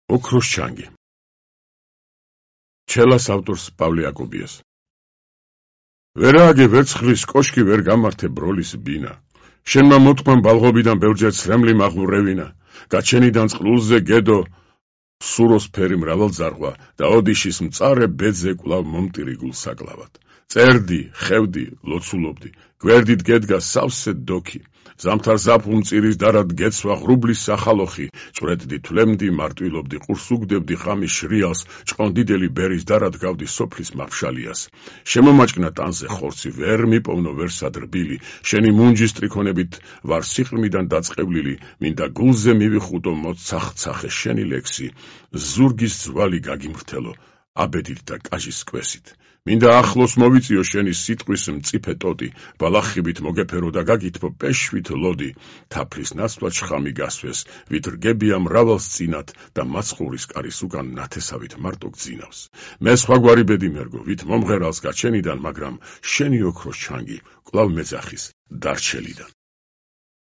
ოქროს ჩანგი. ჩელას ავტორს პავლე აკობიას. ვერააგე ვერცხლის კოშკი ვერ გამართე ბროლის ბინა. შენმა მოთქვამ ბალღობიდან ბევრჯერ ცრემლი მაღლურევინა. გაჩენიდან წყლულზე გედო სუროს ფერი მრავალძარღვა და ოდიშის მწარე ბედზე კვლავ მომტირი გულსაკლავად. წერდი, ხევდი, ლოცულობდი, გვერდით გედგა სავსე დოქი. ზამთარ ზაფხულ მწირის დარად გეცვა ღრუბლის სახალოხი, წვრეთდი თვლემდი, მარტვილობდი, ყურს უგდებდი ხამის შრიალს, ჭყონდიდელი ბერის დარად გავდი სოფლის მაფშალიას. შემომაჭკნა ტანზე ხორცი, ვერ მიპოვნო ვერსად რბილი, შენი მუნჯის ტრიქონებით ვარ სიყრმიდან დაწყევლილი, მინდა გულზე მივიხუტო მოცახცახე შენი ლექსი, ზურგის ძვალი გაგიმრთელო, აბედით და კაჟის სკვესით. მინდა ახლოს მოვიწიო შენი სიტყვის მწიფე ტოტი, ბალახებით მოგეფერო და გაგითბო პეშვით ლოდი, თაფლის ნაცვლად შხამი გასვეს, ვით რგებია მრავალს წინათ და მაცხოვრის კარის უკან ნათესავით მარტო გძინავს. მე სხვაგვარი ბედი მერგო, ვით მომღერალს გაჩენიდან, მაგრამ შენი ოქროს ჩანგი კვლავ მეძახის დარჩელიდან.